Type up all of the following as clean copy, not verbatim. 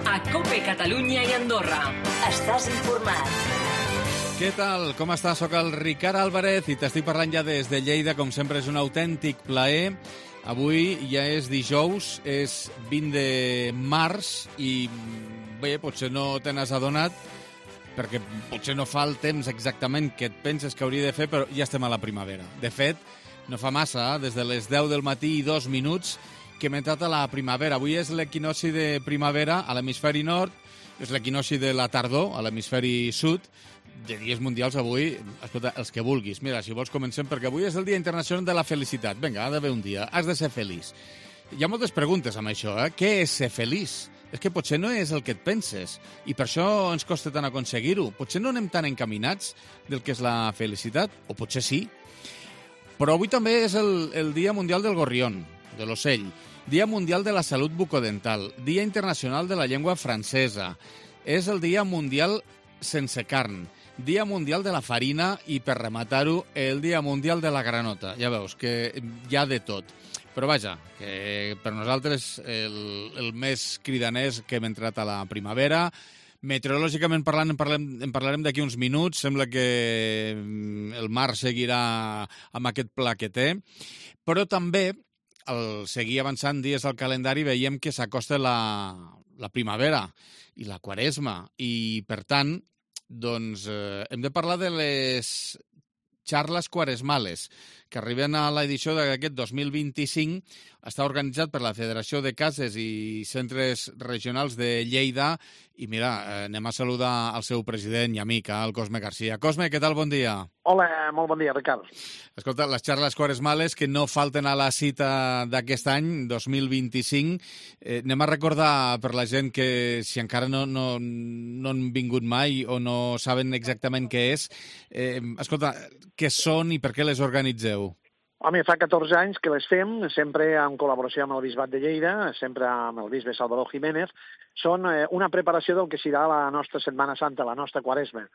a COPE Catalunya i Andorra. Estàs informat. Què tal? Com estàs? Soc el Ricard Álvarez i t'estic parlant ja des de Lleida. Com sempre, és un autèntic plaer. Avui ja és dijous, és 20 de març i bé, potser no te n'has adonat perquè potser no fa el temps exactament que et penses que hauria de fer, però ja estem a la primavera. De fet, no fa massa, des de les 10 del matí i 2 minuts, que hem entrat a la primavera. Avui és l'equinoci de primavera a l'hemisferi nord, és l'equinoci de la tardor a l'hemisferi sud. De dies mundials avui, escolta, els que vulguis. Mira, si vols comencem, perquè avui és el Dia Internacional de la Felicitat. Vinga, ha d'haver un dia. Has de ser feliç. Hi ha moltes preguntes amb això, eh? Què és ser feliç? És que potser no és el que et penses i per això ens costa tant aconseguir-ho. Potser no anem tan encaminats del que és la felicitat, o potser sí. Però avui també és el Dia Mundial del Gorrión, de l'ocell, Dia Mundial de la Salut Bucodental, Dia Internacional de la Llengua Francesa, és el Dia Mundial sense carn, Dia Mundial de la Farina i, per rematar-ho, el Dia Mundial de la Granota. Ja veus que hi ha de tot. Però vaja, que per nosaltres el més cridaner és que hem entrat a la primavera. Meteorològicament parlant, en parlarem d'aquí uns minuts. Sembla que el mar seguirà amb aquest pla que té. Però també, al seguir avançant dies al calendari, veiem que s'acosta la primavera i la quaresma. I, per tant, doncs, hem de parlar de les xarles quaresmales, que arriben a l'edició d'aquest 2025. Està organitzat per la Federació de Cases i Centres Regionals de Lleida. I mira, anem a saludar al seu president i amic, el Cosme Garcia. Cosme, què tal? Bon dia. Hola, molt bon dia, Ricard. Escolta, les xarles quaresmales que no falten a la cita d'aquest any, 2025. Anem a recordar per la gent que, si encara no han vingut mai o no saben exactament què és, escolta, què són i per què les organitzeu? Home, fa 14 anys que les fem, sempre en col·laboració amb el Bisbat de Lleida, sempre amb el bisbe Salvador Jiménez. Són una preparació del que serà la nostra Setmana Santa, la nostra Quaresma.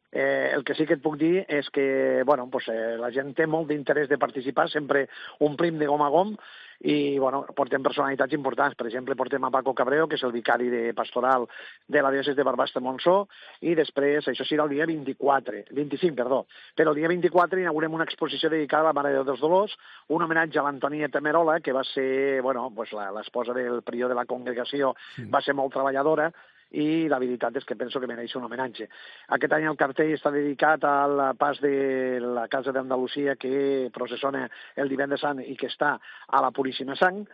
El que sí que et puc dir és que la gent té molt d'interès de participar, sempre omplim de gom a gom i portem personalitats importants. Per exemple, portem a Paco Cabreo, que és el vicari de pastoral de la diòcesi de Barbastremontsó, i després, això serà el dia 25, però el dia 24 inaugurem una exposició dedicada a la Mare de Déu dels Dolors, un homenatge a l'Antonieta Merola, que va ser l'esposa del prior de la congregació, va ser molt treballadora, i la veritat és que penso que mereix un homenatge. Aquest any el cartell està dedicat al pas de la Casa d'Andalusia que processona el Divendres Sant i que està a la Puríssima Sang,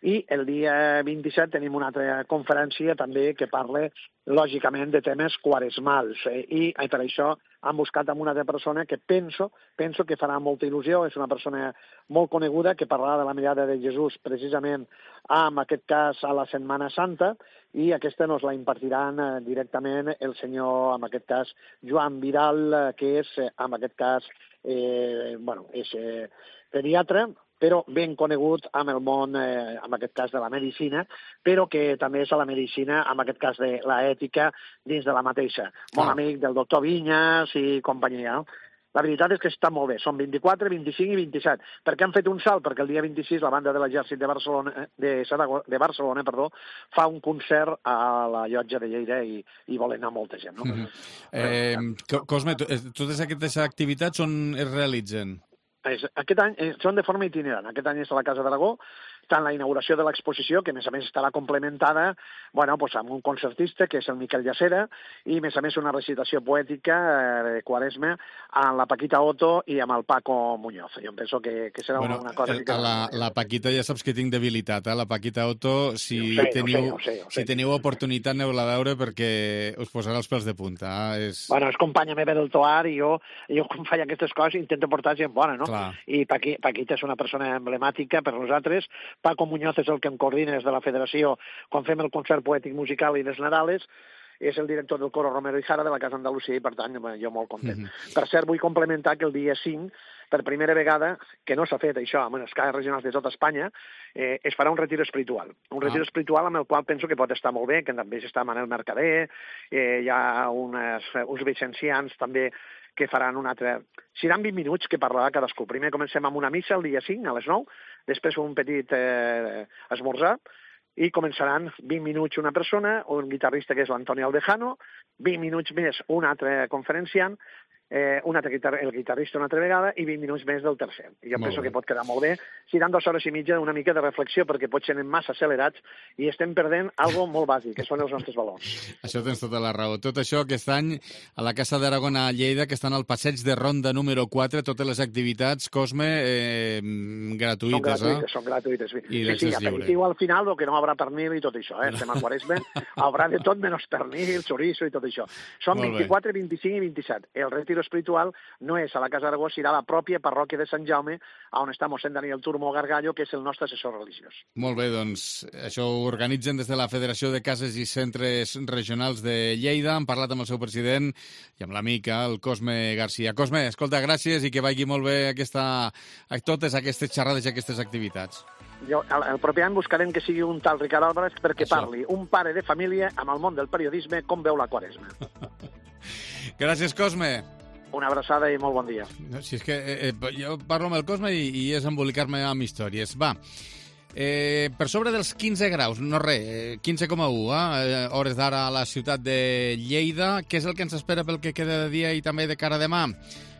i el dia 27 tenim una altra conferència també que parla, lògicament, de temes quaresmals. I per això han buscat amb una altra persona que penso que farà molta il·lusió. És una persona molt coneguda que parlarà de la mirada de Jesús precisament en aquest cas a la Setmana Santa, i aquesta nos la impartiran directament el senyor, en aquest cas, Joan Vidal, que és, en aquest cas, és pediatre, però ben conegut amb el món, en aquest cas, de la medicina, però que també és a la medicina, en aquest cas, de l'ètica dins de la mateixa. Molt amic del doctor Vinyas i companyia, no? La veritat és que està molt bé. Són 24, 25 i 27. Per què han fet un salt? Perquè el dia 26 la banda de l'Exèrcit de Barcelona fa un concert a la llotja de Lleida i vol anar molta gent. No? Cosme, totes aquestes activitats on es realitzen? Aquest any són de forma itinerant. Aquest any és a la Casa d'Aragó, tant la inauguració de l'exposició, que a més estarà complementada amb un concertista, que és el Miquel Llacera, i a més una recitació poètica de Quaresma amb la Paquita Otto i amb el Paco Muñoz. Jo penso que serà una cosa... La Paquita ja saps que tinc debilitat, la Paquita Otto, si teniu oportunitat aneu-la a veure perquè us posarà els pèls de punta. És companya meva del Toar i jo quan faig aquestes coses intento portar gent bona, no? Clar. I Paquita és una persona emblemàtica per nosaltres. Paco Muñoz és el que em coordina des de la federació quan fem el concert poètic musical i les Nadales. És el director del coro Romero i Jara de la Casa Andalusia i, per tant, jo molt content. Per cert, vull complementar que el dia 5, per primera vegada, que no s'ha fet això amb les cases regionals de tota Espanya, es farà un retir espiritual. Un retir espiritual amb el qual penso que pot estar molt bé, que també està Manel Mercader, hi ha uns vicencians també que faran un altre... Seran 20 minuts que parlarà cadascú. Primer comencem amb una missa el dia 5 a les 9, després un petit esmorzar, i començaran 20 minuts una persona, un guitarrista que és l'Antonio Aldejano, 20 minuts més un altre conferenciant, el guitarrista una altra vegada i 20 minuts més del tercer. I jo penso que pot quedar molt bé. Seran 2 hores i mitja una mica de reflexió perquè potser anem massa accelerats i estem perdent algo molt bàsic, que són els nostres valors. Això tens tota la raó. Tot això aquest any a la Casa d'Aragón a Lleida, que estan al passeig de Ronda número 4, totes les activitats, Cosme, gratuïtes. Són gratuïtes. I l'accés lliure. Aperitiu al final, el que no haurà pernil i tot això. Estem a Quaresma, haurà de tot menys pernil, chorizo i tot això. Són 24, 25 i 27. El retiro espiritual no és a la Casa d'Aragó, serà a la pròpia parròquia de Sant Jaume, on està mossèn Daniel Turmo Gargallo, que és el nostre assessor religiós. Molt bé, doncs això ho organitzen des de la Federació de Cases i Centres Regionals de Lleida. Han parlat amb el seu president i amb l'amic, el Cosme Garcia. Cosme, escolta, gràcies i que vagi molt bé totes aquestes xerrades i aquestes activitats. El proper any buscarem que sigui un tal Ricard Álvarez perquè parli un pare de família amb el món del periodisme com veu la Quaresma. Gràcies, Cosme. Una abraçada i molt bon dia. No, si és que jo parlo amb el Cosme i és embolicar-me amb històries. Va, per sobre dels 15 graus, no res, 15,1 hores d'ara a la ciutat de Lleida. Què és el que ens espera pel que queda de dia i també de cara a demà?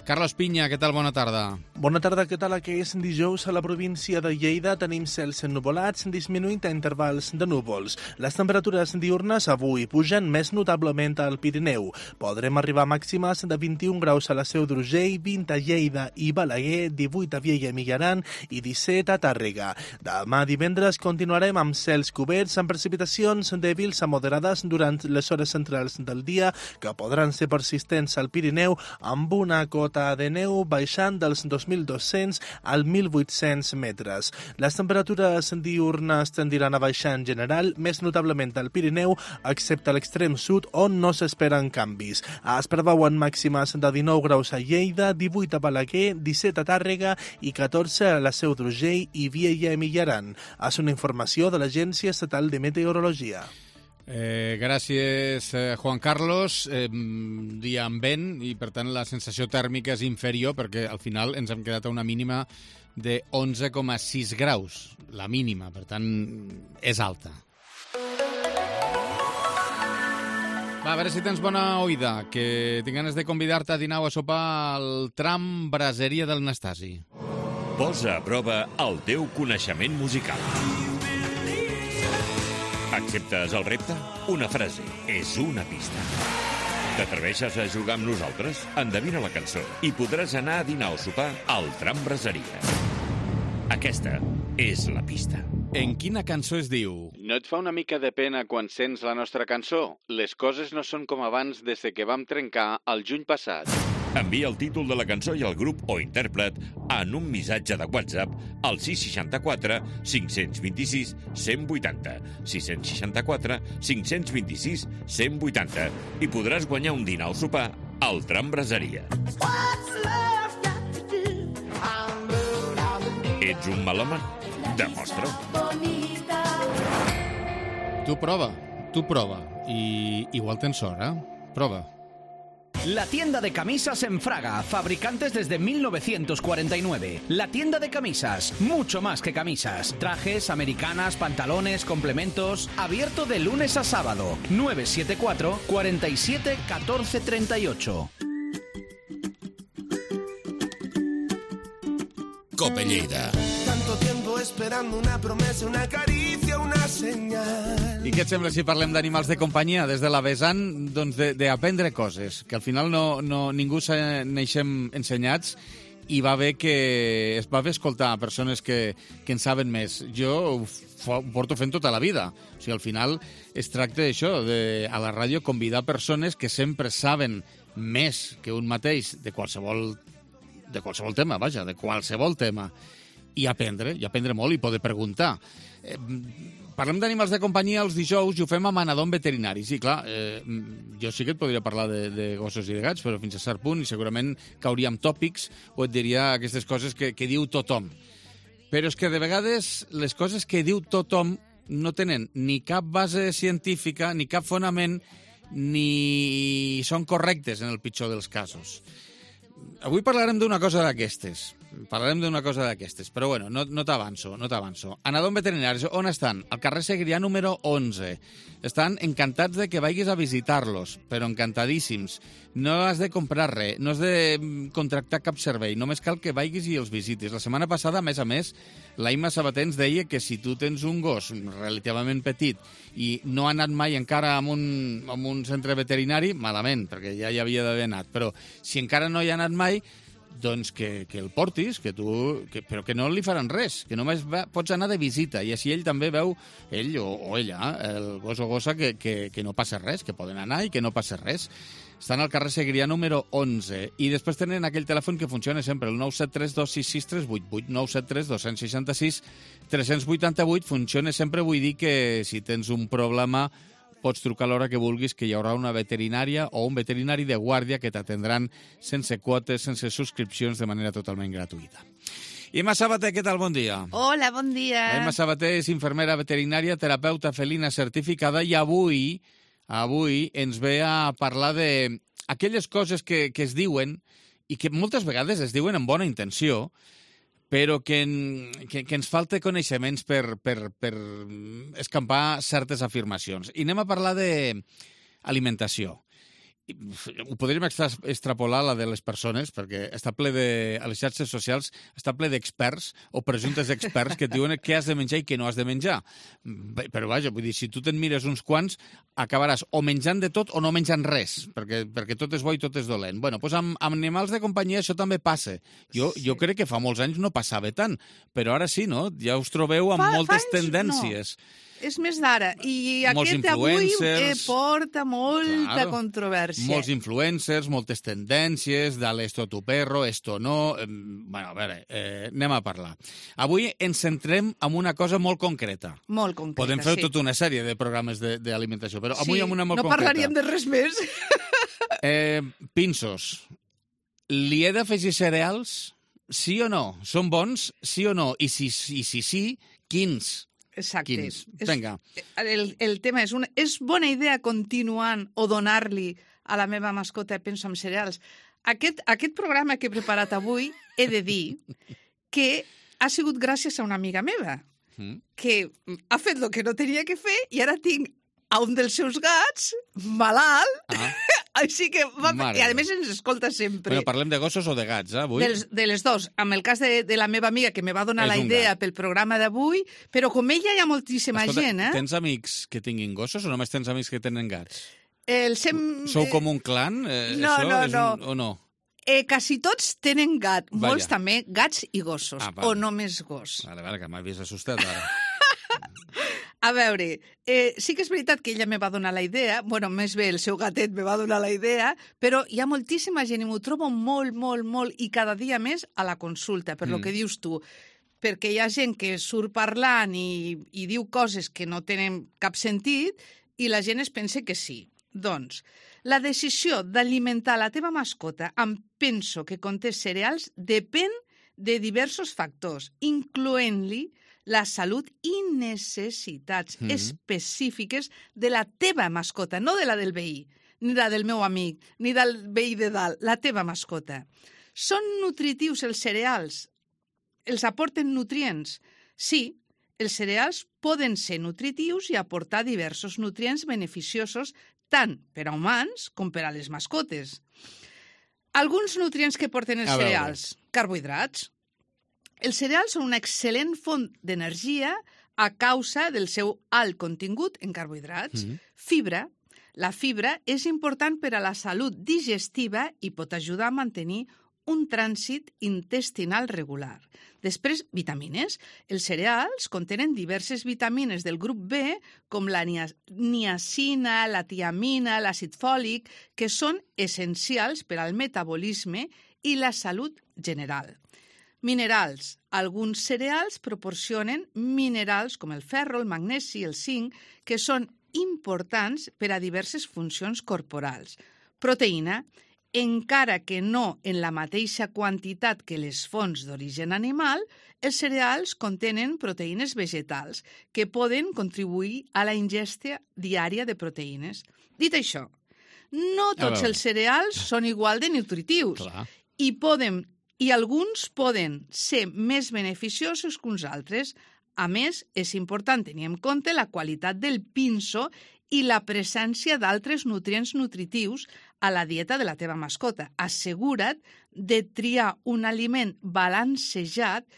Carlos Pinya, què tal? Bona tarda. Bona tarda, què tal? Que és dijous a la província de Lleida. Tenim cels ennuvolats, disminuint a intervals de núvols. Les temperatures diurnes avui pugen més notablement al Pirineu. Podrem arribar a màximes de 21 graus a la Seu d'Urgell, 20 a Lleida i Balaguer, 18 a Viella i Millaran i 17 a Tàrrega. Demà divendres continuarem amb cels coberts amb precipitacions dèbils a moderades durant les hores centrals del dia que podran ser persistents al Pirineu amb una cota de neu baixant dels 2.200 al 1.800 metres. Les temperatures diurnes tendiran a baixar en general, més notablement al Pirineu, excepte a l'extrem sud, on no s'esperen canvis. Es preveuen màximes de 19 graus a Lleida, 18 a Balaguer, 17 a Tàrrega i 14 a la Seu d'Urgell i Viella i Millaran. És una informació de l'Agència Estatal de Meteorologia. Gràcies, Juan Carlos. Dia amb vent i, per tant, la sensació tèrmica és inferior perquè al final ens hem quedat a una mínima de 11,6 graus. La mínima, per tant, és alta. Va, a veure si tens bona oïda, que tinc ganes de convidar-te a dinar o a sopar al tram Braseria del Nastasi. Posa a prova el teu coneixement musical. Acceptes el repte? Una frase és una pista. T'atreveixes a jugar amb nosaltres? Endevina la cançó i podràs anar a dinar o sopar al tram Braseria. Aquesta és la pista. En quina cançó es diu? No et fa una mica de pena quan sents la nostra cançó? Les coses no són com abans des que vam trencar el juny passat. Envia el títol de la cançó i el grup o intèrpret en un missatge de WhatsApp al 664 526 180, 664 526 180 i podràs guanyar un dinar o sopar al tram Braseria. Ets un melòman? Demostra-ho. Tu prova. I igual tens sort, Prova. La tienda de camisas en Fraga, fabricantes desde 1949. La tienda de camisas, mucho más que camisas. Trajes, americanas, pantalones, complementos. Abierto de lunes a sábado. 974 47 14 38. Cope Lleida. Tanto tiempo esperando una promesa, una caricia, una señal. I què et sembla si parlem d'animals de companyia des de la vessant d'aprendre coses, que al final ningú neixem ensenyats i va bé escoltar persones que en saben més. Jo ho porto fent tota la vida. O sigui, al final es tracta d'això, a la ràdio convidar persones que sempre saben més que un mateix de qualsevol tema, de qualsevol tema, i aprendre molt i poder preguntar. Parlem d'animals de companyia els dijous i ho fem amb Anadom Veterinaris. I clar, jo sí que et podria parlar de gossos i de gats, però fins a cert punt, i segurament cauria amb tòpics o et diria aquestes coses que diu tothom. Però és que de vegades les coses que diu tothom no tenen ni cap base científica, ni cap fonament, ni són correctes en el pitjor dels casos. Avui parlarem d'una cosa d'aquestes. parlarem d'una cosa d'aquestes, però bueno, no t'avanço. Anadom Veterinaris, on estan? Al carrer Segrià número 11. Estan encantats de que vagis a visitar-los, però encantadíssims. No has de comprar res, no has de contractar cap servei, només cal que vagis i els visitis. La setmana passada, a més, l'Aima Sabater ens deia que si tu tens un gos relativament petit i no ha anat mai encara a un centre veterinari, malament, perquè ja hi havia d'haver anat, però si encara no hi ha anat mai, doncs que el portis, però que no li faran res, que només pots anar de visita, i així ell també veu, ell o ella, el gos o gossa, que no passa res, que poden anar i que no passa res. Estan al carrer Segrià número 11, i després tenen aquell telèfon que funciona sempre, el 973-266-388, 973-266-388, funciona sempre, vull dir que si tens un problema pots trucar a l'hora que vulguis, que hi haurà una veterinària o un veterinari de guàrdia que t'atendran sense quotes, sense subscripcions, de manera totalment gratuïta. Imma Sabater, què tal? Bon dia. Hola, bon dia. Imma Sabater és infermera veterinària, terapeuta felina certificada, i avui ens ve a parlar d'aquelles coses que es diuen i que moltes vegades es diuen amb bona intenció, però que ens falta coneixements per escampar certes afirmacions. I anem a parlar d'alimentació. Ho podríem extrapolar la de les persones, perquè està ple a les xarxes socials està ple d'experts o presumptes experts que et diuen què has de menjar i què no has de menjar. Però vaja, vull dir, si tu te'n mires uns quants, acabaràs o menjant de tot o no menjant res, perquè tot és bo i tot és dolent. Bueno, doncs amb animals de companyia això també passa. Jo crec que fa molts anys no passava tant, però ara sí, no? Ja us trobeu amb moltes tendències. No. És més d'ara. I aquest avui porta molta controvèrsia. Molts influencers, moltes tendències, de esto tu perro, esto no... Bueno, a veure, anem a parlar. Avui ens centrem en una cosa molt concreta. Molt concreta, podem fer tota una sèrie de programes d'alimentació, però avui en una molt concreta. No parlaríem de res més. Pinsos. Li he d'afegir cereals? Sí o no? Són bons? Sí o no? I si sí, quins? Exacte. Vinga. El tema és bona idea continuant o donar-li a la meva mascota penso en cereals. Aquest programa que he preparat avui he de dir que ha sigut gràcies a una amiga meva que ha fet el que no tenia que fer i ara tinc a un dels seus gats malalt. Així que i a més ens escolta sempre. Però parlem de gossos o de gats, avui? De les dos. En el cas de la meva amiga, que me va donar la idea pel programa d'avui, però com ella hi ha moltíssima gent, Tens amics que tinguin gossos o només tens amics que tenen gats? Sou com un clan? No. O no? Quasi tots tenen gat. Molts també, gats i gossos. O només gos. Vale, que m'havies assustat ara. A veure, sí que és veritat que ella me va donar la idea, més bé el seu gatet me va donar la idea, però hi ha moltíssima gent i m'ho trobo molt, i cada dia més a la consulta, per lo que dius tu, perquè hi ha gent que surt parlant i diu coses que no tenen cap sentit i la gent es pensa que sí. Doncs, la decisió d'alimentar la teva mascota amb penso que conté cereals depèn de diversos factors, incloent-li la salut i necessitats específiques de la teva mascota, no de la del veí, ni la del meu amic, ni del veí de dalt, la teva mascota. Són nutritius els cereals? Els aporten nutrients? Sí, els cereals poden ser nutritius i aportar diversos nutrients beneficiosos tant per a humans com per a les mascotes. Alguns nutrients que porten els cereals. Carbohidrats. Els cereals són una excel·lent font d'energia a causa del seu alt contingut en carbohidrats. Fibra. La fibra és important per a la salut digestiva i pot ajudar a mantenir un trànsit intestinal regular. Després, vitamines. Els cereals contenen diverses vitamines del grup B, com la niacina, la tiamina, l'àcid fòlic, que són essencials per al metabolisme i la salut general. Minerals. Alguns cereals proporcionen minerals com el ferro, el magnesi i el zinc, que són importants per a diverses funcions corporals. Proteïna. Encara que no en la mateixa quantitat que les fonts d'origen animal, els cereals contenen proteïnes vegetals que poden contribuir a la ingesta diària de proteïnes. Dit això, no tots els cereals són igual de nutritius i poden i alguns poden ser més beneficiosos que uns altres. A més, és important tenir en compte la qualitat del pinso i la presència d'altres nutrients nutritius a la dieta de la teva mascota. Assegura't de triar un aliment balancejat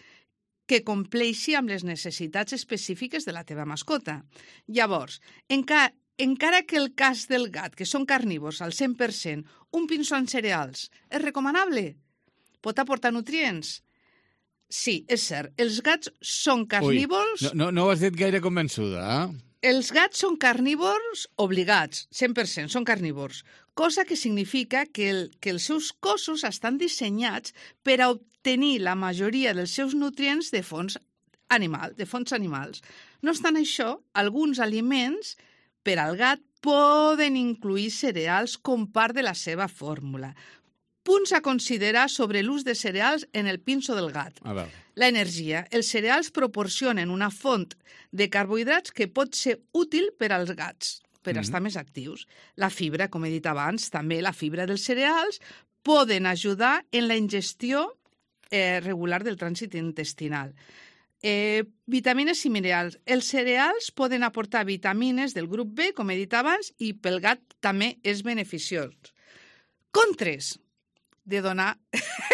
que compleixi amb les necessitats específiques de la teva mascota. Llavors, encara que el cas del gat, que són carnívors al 100%, un pinso amb cereals és recomanable? Pot aportar nutrients? Sí, és cert. Els gats són carnívors... Ui, no ho has dit gaire convençuda, eh? Els gats són carnívors obligats, 100%, són carnívors, cosa que significa que els seus cossos estan dissenyats per a obtenir la majoria dels seus nutrients de fonts animals. No obstant això, alguns aliments per al gat poden incluir cereals com part de la seva fórmula. Punts a considerar sobre l'ús de cereals en el pinso del gat. A veure. L'energia. Els cereals proporcionen una font de carbohidrats que pot ser útil per als gats, per estar més actius. La fibra, com he dit abans, també la fibra dels cereals, poden ajudar en la ingestió regular del trànsit intestinal. Vitamines i minerals. Els cereals poden aportar vitamines del grup B, com he dit abans, i pel gat també és beneficiós. Contres de donar...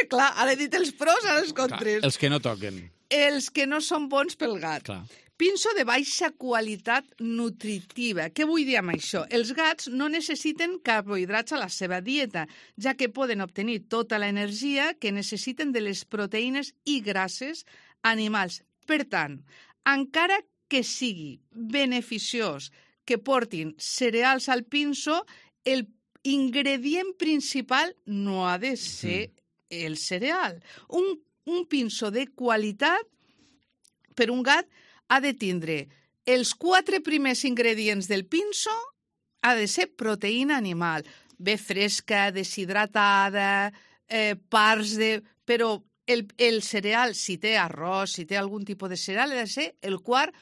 Clar, ara he dit els pros, ara els contres. Clar, els que no toquen. Els que no són bons pel gat. Clar. Pinso de baixa qualitat nutritiva. Què vull dir amb això? Els gats no necessiten carbohidrats a la seva dieta, ja que poden obtenir tota l'energia que necessiten de les proteïnes i grasses animals. Per tant, encara que sigui beneficiós que portin cereals al pinso, el ingredient principal no ha de ser el cereal. Un pinso de qualitat per un gat ha de tindre els 4 primers ingredients del pinso, ha de ser proteïna animal, bé fresca, deshidratada, parts de... Però el cereal, si té arròs, si té algun tipus de cereal, ha de ser el 4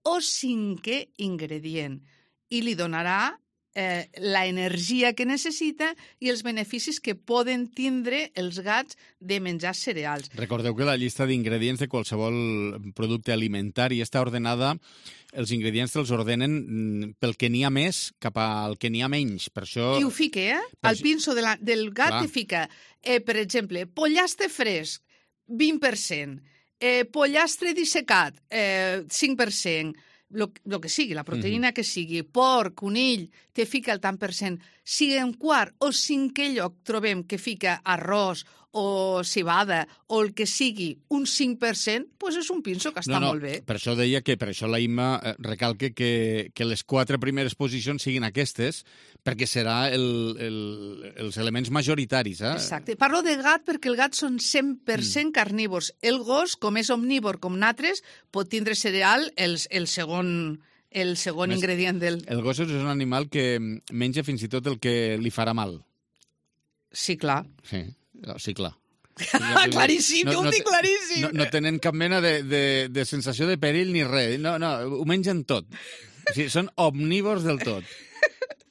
o 5è ingredient i li donarà la energia que necessita i els beneficis que poden tindre els gats de menjar cereals. Recordeu que la llista d'ingredients de qualsevol producte alimentari està ordenada, els ingredients te'ls ordenen pel que n'hi ha més cap al que n'hi ha menys. Per això... I ho fica, Al pinso del gat te fica, per exemple, pollastre fresc, 20%, pollastre dissecat, 5%, el que sigui, la proteïna que sigui, porc, conill, te fica el tant per cent. Si en quart o 5è lloc trobem que fica arròs o cebada o el que sigui un 5%, doncs és un pinso que està molt bé. Per això deia que, per això la Imma recalca que les 4 primeres posicions siguin aquestes, perquè serà els elements majoritaris. Exacte. Parlo de gat perquè el gat són 100% carnívors. El gos, com és omnívor com nosaltres, pot tindre cereal el segon ingredient del... El gos és un animal que menja fins i tot el que li farà mal. Sí, clar. Sí, clar. Claríssim, ho dic claríssim. No tenen cap mena de sensació de perill ni res. No, ho mengen tot. O sigui, són omnívors del tot.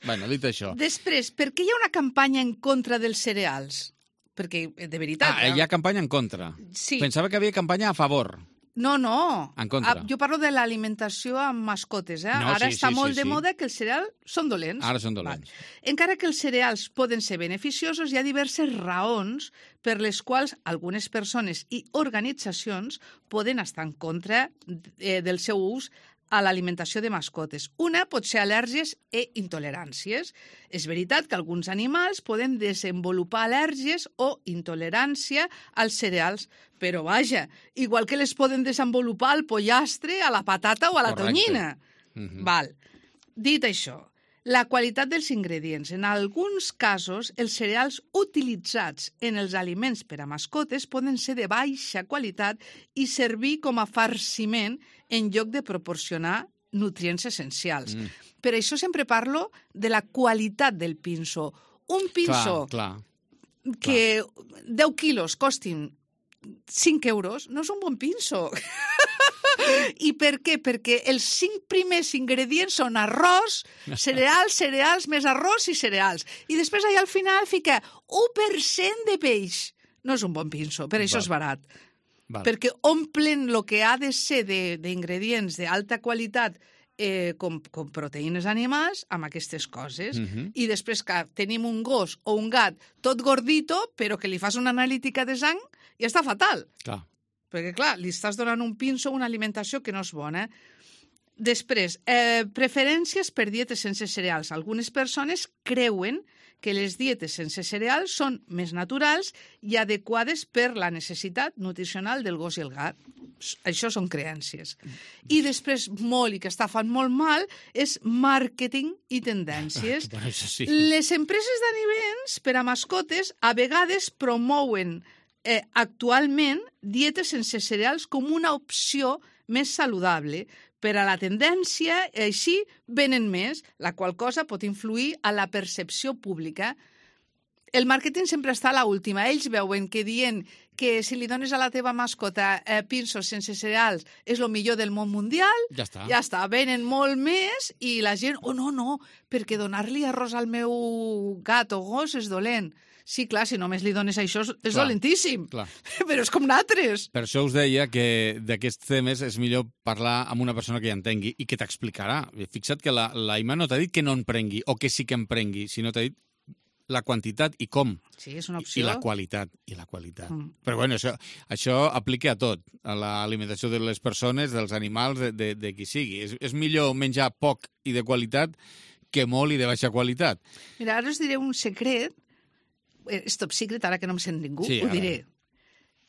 Bueno, dit això. Després, per què hi ha una campanya en contra dels cereals? Perquè, de veritat... Hi ha campanya en contra. Sí. Pensava que havia campanya a favor. No. En contra. Jo parlo de l'alimentació amb mascotes. No, Ara sí, està sí, molt sí, de moda que els cereals són dolents. Ara són dolents. Encara que els cereals poden ser beneficiosos, hi ha diverses raons per les quals algunes persones i organitzacions poden estar en contra del seu ús a l'alimentació de mascotes. Una pot ser al·lèrgies i intoleràncies. És veritat que alguns animals poden desenvolupar al·lèrgies o intolerància als cereals, però vaja, igual que les poden desenvolupar al pollastre, a la patata o a la tonyina. Val. Dit això, la qualitat dels ingredients. En alguns casos, els cereals utilitzats en els aliments per a mascotes poden ser de baixa qualitat i servir com a farciment en lloc de proporcionar nutrients essencials. Per això sempre parlo de la qualitat del pinso. Un pinso que 10 quilos costin 5 euros no és un bon pinso. I per què? Perquè els 5 primers ingredients són arròs, cereals, més arròs i cereals. I després allà al final fica 1% de peix. no és un bon pinso, per això és barat. Val. Perquè omplen el que ha de ser d'ingredients d'alta qualitat com proteïnes animals amb aquestes coses. I després que tenim un gos o un gat tot gordito, però que li fas una analítica de sang i està fatal. Clar. Perquè, clar, li estàs donant un pinso, una alimentació que no és bona. Després, preferències per dietes sense cereals. Algunes persones creuen que les dietes sense cereals són més naturals i adequades per la necessitat nutricional del gos i el gat. Això són creences. I després, molt, i que està fan molt mal, és màrqueting i tendències. Bueno, això sí. Les empreses d'aliments per a mascotes a vegades promouen actualment dietes sense cereals com una opció més saludable. Per a la tendència, així venen més, la qual cosa pot influir a la percepció pública. El màrqueting sempre està a l'última. Ells veuen que dient que si li dones a la teva mascota pinsos sense cereals és el millor del món mundial, Ja està. ja està, venen molt més i la gent, no, perquè donar-li arròs al meu gat o gos és dolent. Sí, clar, si només li dones això és dolentíssim, Clar. però és com natres. Per això us deia que d'aquests temes és millor parlar amb una persona que hi entengui i que t'explicarà. Fixa't que la Ima no t'ha dit que no en prengui o que sí que en prengui, sinó t'ha dit la quantitat i com. Sí, és una I opció. la qualitat. Però bueno, això aplica a tot, a l'alimentació de les persones, dels animals, de qui sigui. És millor menjar poc i de qualitat que molt i de baixa qualitat. Mira, ara us diré un secret. És top secret, ara que no em sent ningú, Sí, ho ara. diré.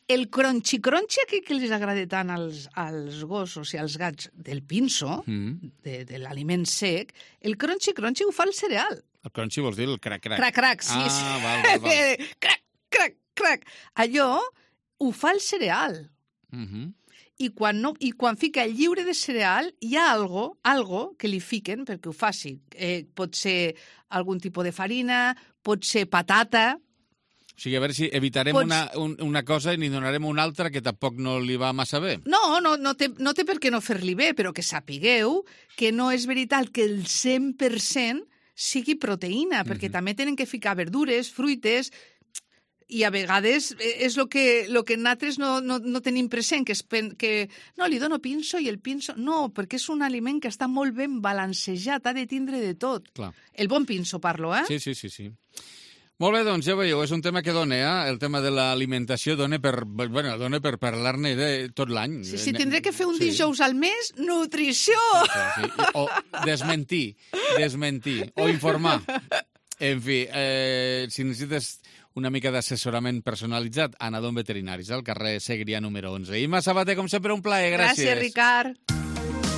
El crunchy aquell que els agrada tant als gossos i als gats del pinso, de l'aliment sec, el crunchy ho fa el cereal. El crunchy vols dir el crac-crac? Crac-crac, sí. Ah, val. Crac. Allò ho fa el cereal. I quan fica el lliure de cereal, hi ha algo que li fiquen perquè ho faci. Pot ser algun tipus de farina, pot ser patata. O sigui, a veure si evitarem una cosa i n'hi donarem una altra que tampoc no li va massa bé. No té per què no fer-li bé, però que sapigueu que no és veritat que el 100% sigui proteïna, perquè també tenen que ficar verdures, fruites, i a vegades és el que nosaltres no tenim present, que no, li dono pinso i el pinso... No, perquè és un aliment que està molt ben balancejat, ha de tindre de tot. Clar. El bon pinso parlo, eh? Sí. Molt bé, doncs ja veieu, és un tema que dona, el tema de l'alimentació dona per parlar-ne tot l'any. Sí, tindré que fer un dijous al mes, nutrició! Sí. O desmentir, o informar. En fi, si necessites una mica d'assessorament personalitzat, Anadon Veterinaris, al carrer Segrià número 11. Ima Sabater, com sempre, un plaer, gràcies. Gràcies, Ricard.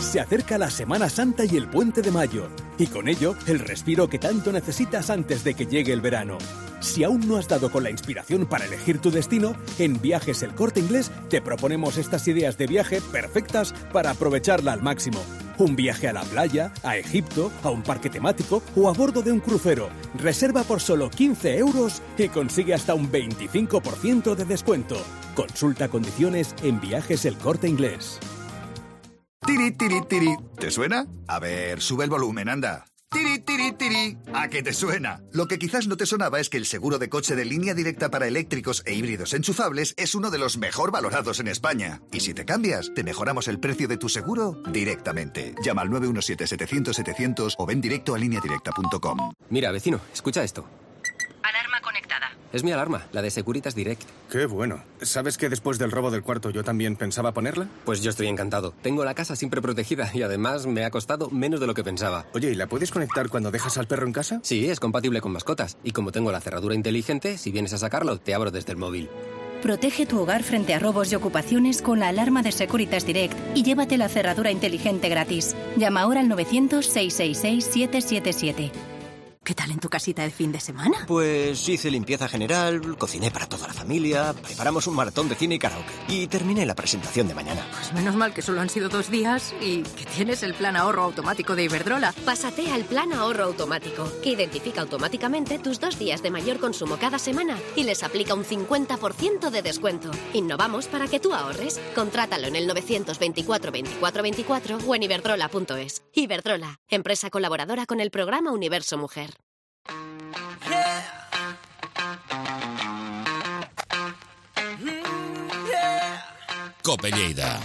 Se acerca la Semana Santa y el Puente de Mayo, y con ello el respiro que tanto necesitas antes de que llegue el verano. Si aún no has dado con la inspiración para elegir tu destino, en Viajes El Corte Inglés te proponemos estas ideas de viaje perfectas para aprovecharla al máximo. Un viaje a la playa, a Egipto, a un parque temático o a bordo de un crucero. Reserva por solo 15 € y consigue hasta un 25% de descuento. Consulta condiciones en Viajes El Corte Inglés. Tiri, tiri, tiri. ¿Te suena? A ver, sube el volumen, anda. Tiri, tiri, tiri. ¿A qué te suena? Lo que quizás no te sonaba es que el seguro de coche de Línea Directa para eléctricos e híbridos enchufables es uno de los mejor valorados en España. Y si te cambias, te mejoramos el precio de tu seguro directamente. Llama al 917-700-700 o ven directo a lineadirecta.com. Mira, vecino, escucha esto. Alarma conectada. Es mi alarma, la de Securitas Direct. Qué bueno. ¿Sabes que después del robo del cuarto yo también pensaba ponerla? Pues yo estoy encantado. Tengo la casa siempre protegida y además me ha costado menos de lo que pensaba. Oye, ¿y la puedes conectar cuando dejas al perro en casa? Sí, es compatible con mascotas. Y como tengo la cerradura inteligente, si vienes a sacarlo, te abro desde el móvil. Protege tu hogar frente a robos y ocupaciones con la alarma de Securitas Direct y llévate la cerradura inteligente gratis. Llama ahora al 900-666-777. ¿Qué tal en tu casita de fin de semana? Pues hice limpieza general, cociné para toda la familia, preparamos un maratón de cine y karaoke. Y terminé la presentación de mañana. Pues menos mal que solo han sido 2 días y que tienes el plan ahorro automático de Iberdrola. Pásate al plan ahorro automático, que identifica automáticamente tus 2 días de mayor consumo cada semana y les aplica un 50% de descuento. Innovamos para que tú ahorres. Contrátalo en el 924 24 24 o en iberdrola.es. Iberdrola, empresa colaboradora con el programa Universo Mujer. Cope Lleida.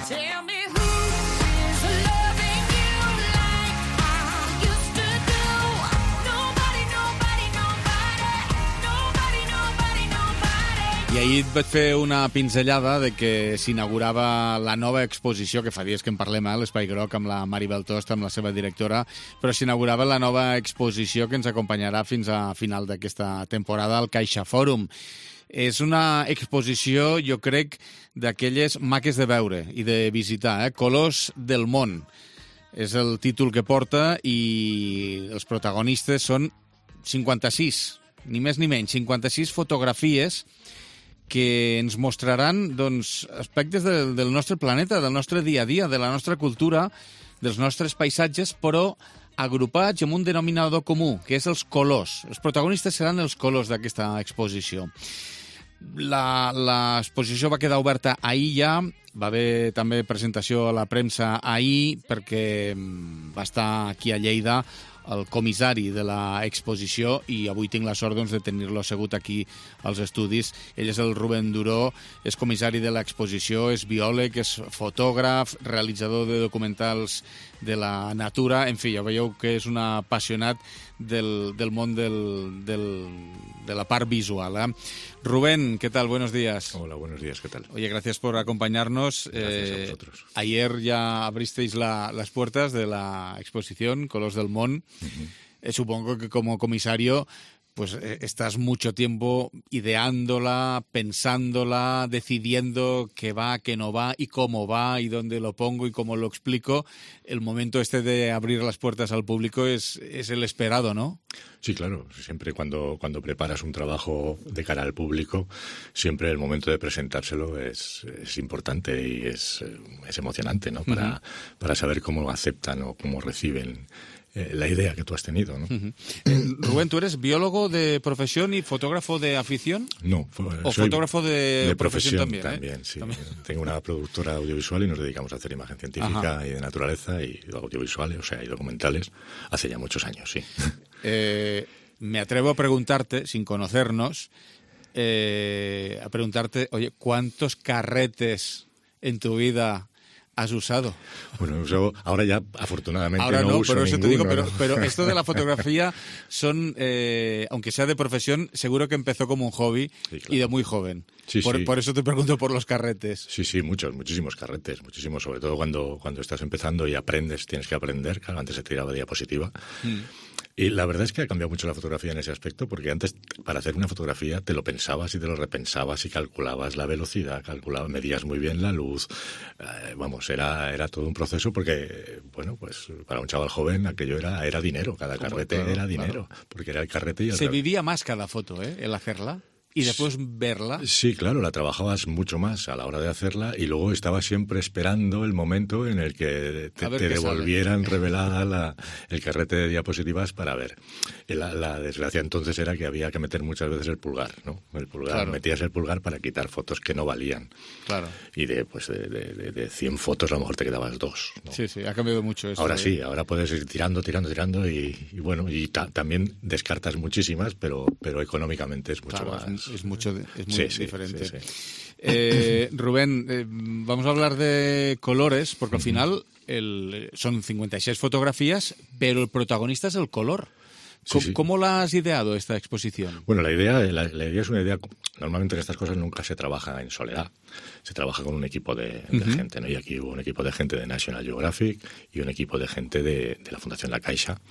I ahir et vaig fer una pinzellada de que s'inaugurava la nova exposició, que fa dies que en parlem a l'Espai Groc amb la Maribel Tost, amb la seva directora, però s'inaugurava la nova exposició que ens acompanyarà fins a final d'aquesta temporada al Caixa Fòrum. És una exposició, jo crec, d'aquelles maques de veure i de visitar, Colors del món. És el títol que porta i els protagonistes són 56, ni més ni menys, 56 fotografies que ens mostraran doncs, aspectes del nostre planeta, del nostre dia a dia, de la nostra cultura, dels nostres paisatges, però agrupats amb un denominador comú, que és els colors. Els protagonistes seran els colors d'aquesta exposició. L'exposició va quedar oberta ahir ja, va haver també presentació a la premsa ahir, perquè va estar aquí a Lleida el comissari de l'exposició i avui tinc la sort de tenir-lo assegut aquí als estudis. Ell és el Rubén Duró, és comissari de l'exposició, és biòleg, és fotògraf, realitzador de documentals de la natura, en fi, ja veieu que és un apassionat del món de la part visual. Rubén, ¿qué tal? Buenos días. Hola, buenos días, ¿qué tal? Oye, gracias por acompañarnos. Gracias a vosotros. Ayer ya abristeis las puertas de la exposición Colors del Món. Supongo que como comisario pues estás mucho tiempo ideándola, pensándola, decidiendo qué va, qué no va y cómo va y dónde lo pongo y cómo lo explico. El momento este de abrir las puertas al público es el esperado, ¿no? Sí, claro. Siempre cuando preparas un trabajo de cara al público, siempre el momento de presentárselo es importante y es emocionante, ¿no? Para saber cómo aceptan o cómo reciben la idea que tú has tenido, ¿no? Rubén, ¿tú eres biólogo de profesión y fotógrafo de afición? No. ¿O soy fotógrafo de profesión también? Sí. ¿También? Tengo una productora audiovisual y nos dedicamos a hacer imagen científica y de naturaleza y audiovisuales, o sea, y documentales, hace ya muchos años, sí. Me atrevo a preguntarte, sin conocernos, a preguntarte, oye, ¿cuántos carretes en tu vida has usado? Bueno, ahora ya afortunadamente ahora no uso pero eso ninguno, te digo, pero esto de la fotografía son, aunque sea de profesión, seguro que empezó como un hobby, sí, claro. Y de muy joven. Sí, por eso te pregunto por los carretes. Sí, muchísimos carretes, muchísimos, sobre todo cuando estás empezando y aprendes, tienes que aprender, claro, antes se tiraba diapositiva. Y la verdad es que ha cambiado mucho la fotografía en ese aspecto, porque antes, para hacer una fotografía, te lo pensabas y te lo repensabas y calculabas la velocidad, medías muy bien la luz. Era todo un proceso porque, bueno, pues para un chaval joven aquello era dinero, cada carrete era dinero, porque era el carrete y el... Se vivía más cada foto, el hacerla. Y después verla. Sí, claro, la trabajabas mucho más a la hora de hacerla y luego estabas siempre esperando el momento en el que te devolvieran revelada el carrete de diapositivas para ver. La desgracia entonces era que había que meter muchas veces el pulgar, ¿no? Claro. Metías el pulgar para quitar fotos que no valían. Claro. Y de 100 fotos a lo mejor te quedabas 2, ¿no? Sí, ha cambiado mucho eso. Ahora sí, ahora puedes ir tirando y bueno, y también descartas muchísimas, pero económicamente es mucho más... Es muy diferente. Sí. Rubén, vamos a hablar de colores, porque al final son 56 fotografías, pero el protagonista es el color. ¿Cómo la has ideado esta exposición? Bueno, la idea es una idea... Normalmente en estas cosas nunca se trabaja en soledad. Se trabaja con un equipo de gente, ¿no? Y aquí hubo un equipo de gente de National Geographic y un equipo de gente de la Fundación La Caixa,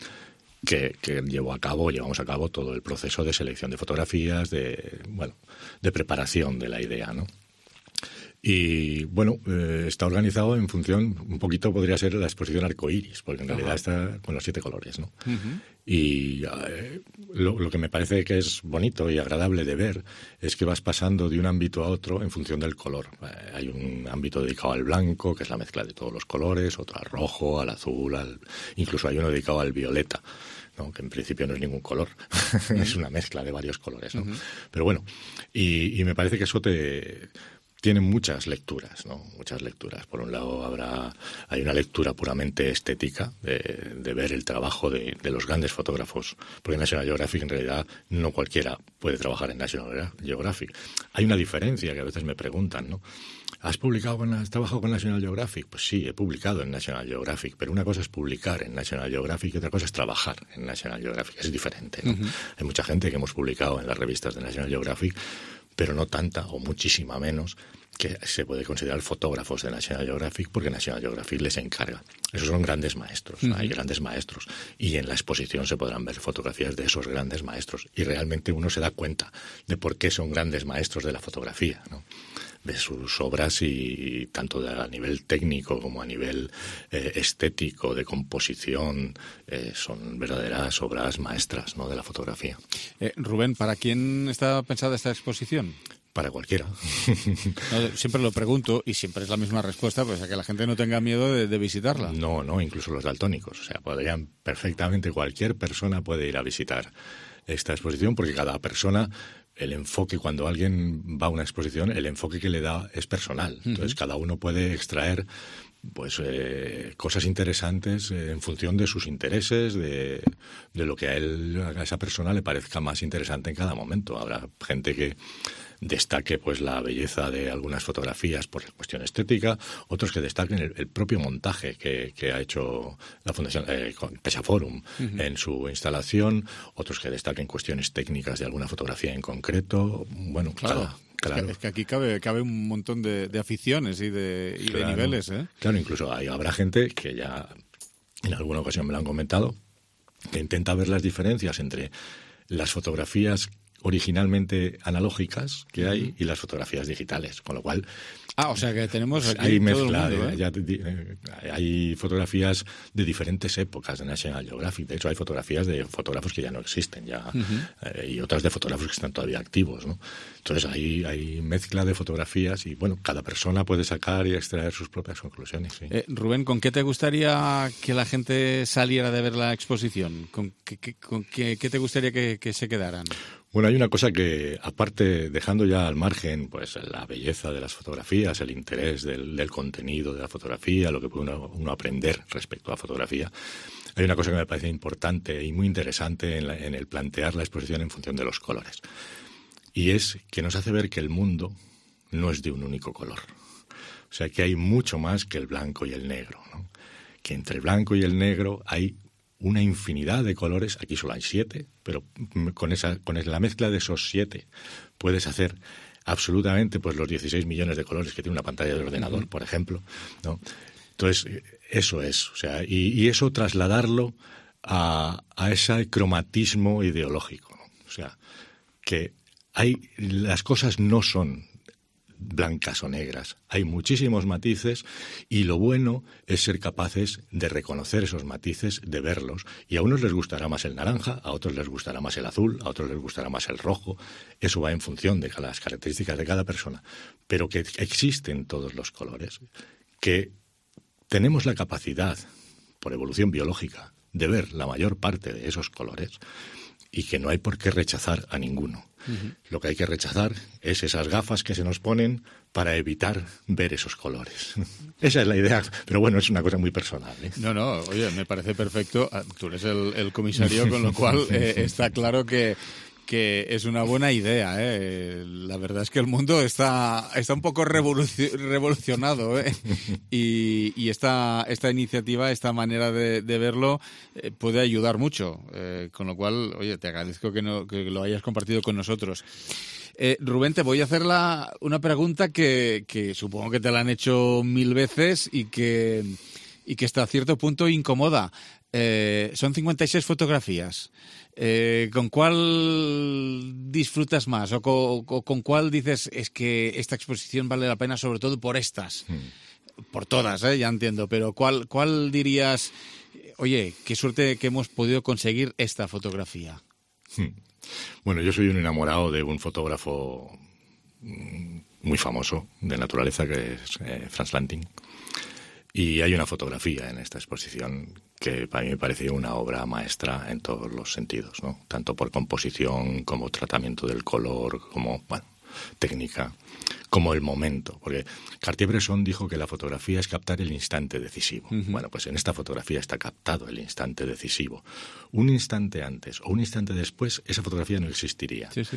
que llevamos a cabo todo el proceso de selección de fotografías, de preparación de la idea, ¿no? Y bueno, está organizado en función, un poquito podría ser la exposición arcoíris, porque en realidad está con los 7 colores, ¿no? Y lo que me parece que es bonito y agradable de ver es que vas pasando de un ámbito a otro en función del color. Hay un ámbito dedicado al blanco, que es la mezcla de todos los colores, otro al rojo, al azul, incluso hay uno dedicado al violeta, ¿no? Que en principio no es ningún color, es una mezcla de varios colores, ¿no? Pero bueno, y me parece que eso te tiene muchas lecturas, ¿no? Muchas lecturas. Por un lado hay una lectura puramente estética de ver el trabajo de los grandes fotógrafos, porque en National Geographic en realidad no cualquiera puede trabajar en National Geographic. Hay una diferencia que a veces me preguntan, ¿no? ¿Has trabajado con National Geographic? Pues sí, he publicado en National Geographic, pero una cosa es publicar en National Geographic y otra cosa es trabajar en National Geographic. Es diferente, ¿no? Hay mucha gente que hemos publicado en las revistas de National Geographic, pero no tanta o muchísima menos que se puede considerar fotógrafos de National Geographic, porque National Geographic les encarga. Esos son grandes maestros, hay grandes maestros, y en la exposición se podrán ver fotografías de esos grandes maestros, y realmente uno se da cuenta de por qué son grandes maestros de la fotografía, ¿no? De sus obras, y tanto a nivel técnico como a nivel estético, de composición, son verdaderas obras maestras, ¿no?, de la fotografía. Rubén, ¿para quién está pensada esta exposición? Para cualquiera. No, siempre lo pregunto y siempre es la misma respuesta, pues a que la gente no tenga miedo de visitarla. No, incluso los daltónicos. O sea, podrían perfectamente, cualquier persona puede ir a visitar esta exposición, porque cada persona, el enfoque, cuando alguien va a una exposición, el enfoque que le da es personal. Entonces, cada uno puede extraer pues cosas interesantes en función de sus intereses, de lo que a esa persona le parezca más interesante en cada momento. Habrá gente que destaque pues la belleza de algunas fotografías por cuestión estética, otros que destaquen el propio montaje que ha hecho la Fundación CaixaForum en su instalación, otros que destaquen cuestiones técnicas de alguna fotografía en concreto. Bueno, claro. Es que aquí cabe un montón de aficiones y de niveles, ¿eh? Claro, incluso habrá gente que ya en alguna ocasión me lo han comentado, que intenta ver las diferencias entre las fotografías originalmente analógicas que hay y las fotografías digitales, con lo cual o sea que tenemos aquí hay mezcla, todo el mundo, hay fotografías de diferentes épocas de National Geographic. De hecho, hay fotografías de fotógrafos que ya no existen ya, y otras de fotógrafos que están todavía activos, ¿no? Entonces hay mezcla de fotografías y bueno, cada persona puede sacar y extraer sus propias conclusiones. Sí. Rubén, ¿con qué te gustaría que la gente saliera de ver la exposición? ¿Con qué te gustaría que se quedaran? Bueno, hay una cosa que, aparte, dejando ya al margen pues la belleza de las fotografías, el interés del contenido de la fotografía, lo que puede uno aprender respecto a la fotografía, hay una cosa que me parece importante y muy interesante en el plantear la exposición en función de los colores. Y es que nos hace ver que el mundo no es de un único color. O sea, que hay mucho más que el blanco y el negro, ¿no? Que entre el blanco y el negro hay una infinidad de colores. Aquí solo hay 7, pero con la mezcla de esos 7 puedes hacer absolutamente pues los 16 millones de colores que tiene una pantalla de ordenador, por ejemplo, ¿no? Entonces, eso es, o sea, y eso trasladarlo a ese cromatismo ideológico, ¿no? O sea, que las cosas no son blancas o negras. Hay muchísimos matices y lo bueno es ser capaces de reconocer esos matices, de verlos. Y a unos les gustará más el naranja, a otros les gustará más el azul, a otros les gustará más el rojo. Eso va en función de las características de cada persona. Pero que existen todos los colores, que tenemos la capacidad, por evolución biológica, de ver la mayor parte de esos colores y que no hay por qué rechazar a ninguno. Lo que hay que rechazar es esas gafas que se nos ponen para evitar ver esos colores. Esa es la idea, pero bueno, es una cosa muy personal, ¿eh? No, oye, me parece perfecto. Tú eres el comisario, con lo cual está claro que es una buena idea, ¿eh? La verdad es que el mundo está un poco revolucionado, ¿eh? Y esta iniciativa, esta manera de verlo, puede ayudar mucho. Con lo cual, oye, te agradezco que lo hayas compartido con nosotros. Rubén, te voy a hacer una pregunta que supongo que te la han hecho 1000 veces y que hasta cierto punto incomoda. Son 56 fotografías. ¿Con cuál disfrutas más? ¿O con cuál dices es que esta exposición vale la pena sobre todo por estas? Por todas, ya entiendo, pero ¿cuál dirías, oye, qué suerte que hemos podido conseguir esta fotografía? Bueno, yo soy un enamorado de un fotógrafo muy famoso de naturaleza que es Frans Lanting. Y hay una fotografía en esta exposición que para mí me parece una obra maestra en todos los sentidos, ¿no? Tanto por composición como tratamiento del color, como técnica, como el momento. Porque Cartier-Bresson dijo que la fotografía es captar el instante decisivo. Bueno, pues en esta fotografía está captado el instante decisivo. Un instante antes o un instante después, esa fotografía no existiría. Sí, sí.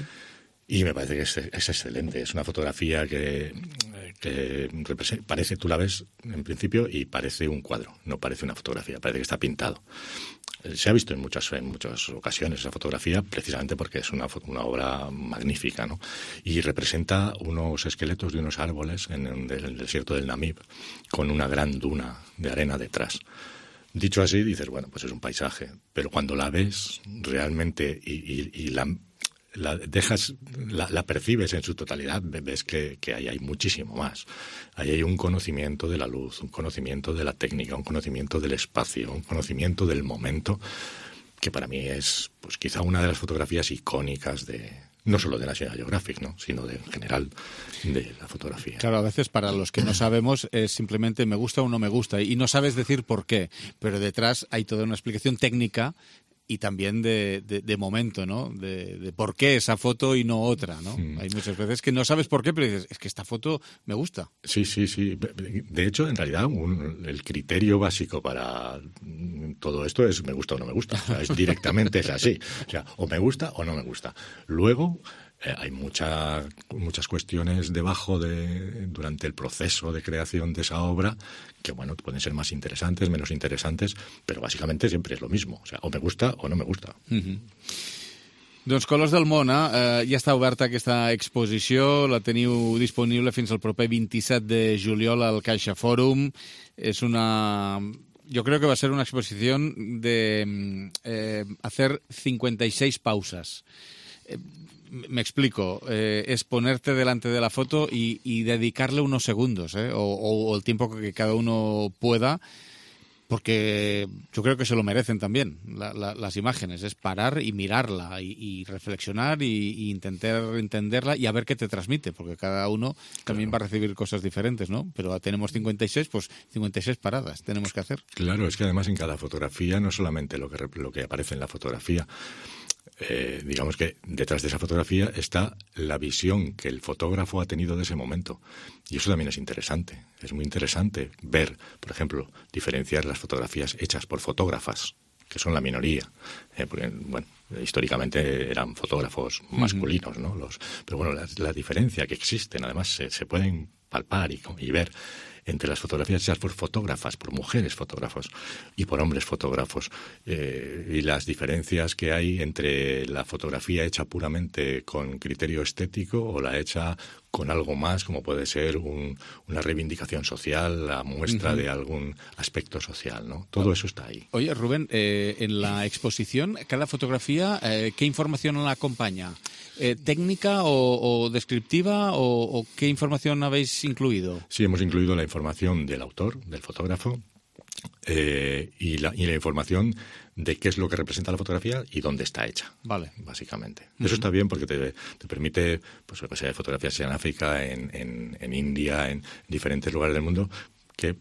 Y me parece que es excelente. Es una fotografía que parece, tú la ves en principio y parece un cuadro, no parece una fotografía, parece que está pintado. Se ha visto en muchas ocasiones esa fotografía precisamente porque es una obra magnífica, ¿no? Y representa unos esqueletos de unos árboles en el desierto del Namib con una gran duna de arena detrás. Dicho así, dices, bueno, pues es un paisaje, pero cuando la ves realmente y la percibes en su totalidad, ves que ahí hay muchísimo más. Ahí hay un conocimiento de la luz, un conocimiento de la técnica, un conocimiento del espacio, un conocimiento del momento, que para mí es pues quizá una de las fotografías icónicas no solo de National Geographic, ¿no?, sino en general de la fotografía. Claro, a veces para los que no sabemos es simplemente me gusta o no me gusta y no sabes decir por qué, pero detrás hay toda una explicación técnica y también de momento, ¿no? De por qué esa foto y no otra, ¿no? Hay muchas veces que no sabes por qué, pero dices, es que esta foto me gusta. Sí. De hecho, en realidad, el criterio básico para todo esto es me gusta o no me gusta. O sea, es así. O sea, o me gusta o no me gusta. Luego hay muchas cuestiones debajo durante el proceso de creación de esa obra que, bueno, pueden ser más interesantes, menos interesantes, pero básicamente siempre es lo mismo. O sea, o me gusta o no me gusta. Doncs Colors del Món, ja està oberta aquesta exposició, la teniu disponible fins al proper 27 de juliol al Caixa Fòrum. És yo creo que va a ser una exposición de hacer 56 pausas. Me explico, es ponerte delante de la foto y dedicarle unos segundos, o el tiempo que cada uno pueda, porque yo creo que se lo merecen también las imágenes, es parar y mirarla y reflexionar y intentar entenderla y a ver qué te transmite, porque cada uno también va a recibir cosas diferentes, ¿no? Pero tenemos 56, pues 56 paradas tenemos que hacer. Claro, es que además en cada fotografía, no solamente lo que aparece en la fotografía, digamos que detrás de esa fotografía está la visión que el fotógrafo ha tenido de ese momento. Y eso también es interesante. Es muy interesante ver, por ejemplo, diferenciar las fotografías hechas por fotógrafas, que son la minoría. Porque, bueno, históricamente eran fotógrafos masculinos, ¿no? Pero bueno, la diferencia que existen, además, se pueden palpar y ver entre las fotografías hechas por fotógrafas, por mujeres fotógrafos y por hombres fotógrafos, y las diferencias que hay entre la fotografía hecha puramente con criterio estético o la hecha con algo más, como puede ser una reivindicación social, la muestra de algún aspecto social, ¿no? Todo eso está ahí. Oye, Rubén, en la exposición, cada fotografía, ¿qué información la acompaña? ¿Técnica o descriptiva o qué información habéis incluido? Sí, hemos incluido la información del autor, del fotógrafo, y la información de qué es lo que representa la fotografía y dónde está hecha. Vale. Básicamente. Eso está bien porque te permite, pues lo que sea, fotografías en África, en India, en diferentes lugares del mundo, que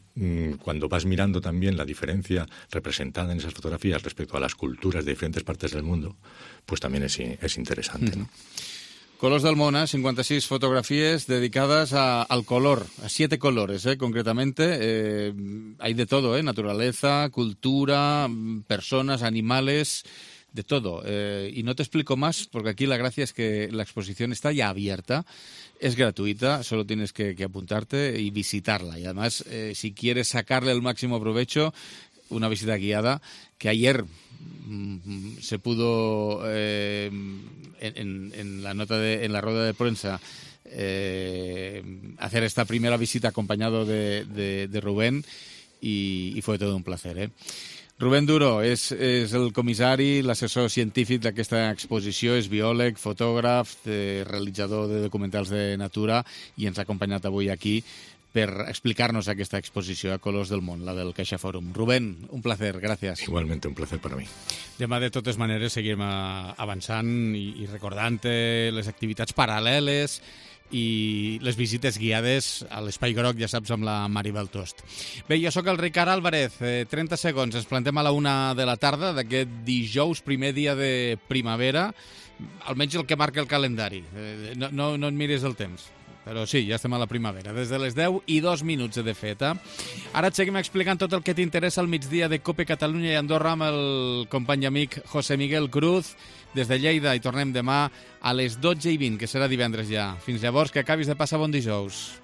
cuando vas mirando también la diferencia representada en esas fotografías respecto a las culturas de diferentes partes del mundo, pues también es interesante, ¿no? Colors del Món, 56 fotografies dedicades al color, a 7 colores, concretamente. Hay de todo, naturaleza, cultura, personas, animales, de todo. Y no te explico más, porque aquí la gracia es que la exposición está ya abierta, es gratuita, solo tienes que apuntarte y visitarla. Y además, si quieres sacarle el máximo provecho, una visita guiada, que ayer se pudo en la rueda de prensa hacer esta primera visita acompañado de Rubén y fue todo un placer. Rubén Duro és el comissari, l'assessor científic d'aquesta exposició, és biòleg, fotògraf, realitzador de documentals de natura i ens ha acompanyat avui aquí per explicar-nos aquesta exposició a Colors del Món, la del Caixa Fòrum. Rubén, un placer, gràcies. Igualmente, un placer per a mi. Demà, de totes maneres, seguim avançant i recordant les activitats paral·leles i les visites guiades a l'Espai Groc, ja saps, amb la Maribel Tost. Bé, jo sóc el Ricard Álvarez, 30 segons, ens plantem a la 1 de la tarda d'aquest dijous, primer dia de primavera, almenys el que marca el calendari. No et miris el temps. Però sí, ja estem a la primavera. Des de les 10:02 de fet. Ara et seguim explicant tot el que t'interessa al migdia de COPE Catalunya i Andorra amb el company i amic José Miguel Cruz. Des de Lleida i tornem demà a les 12:20, que serà divendres ja. Fins llavors, que acabis de passar bon dijous.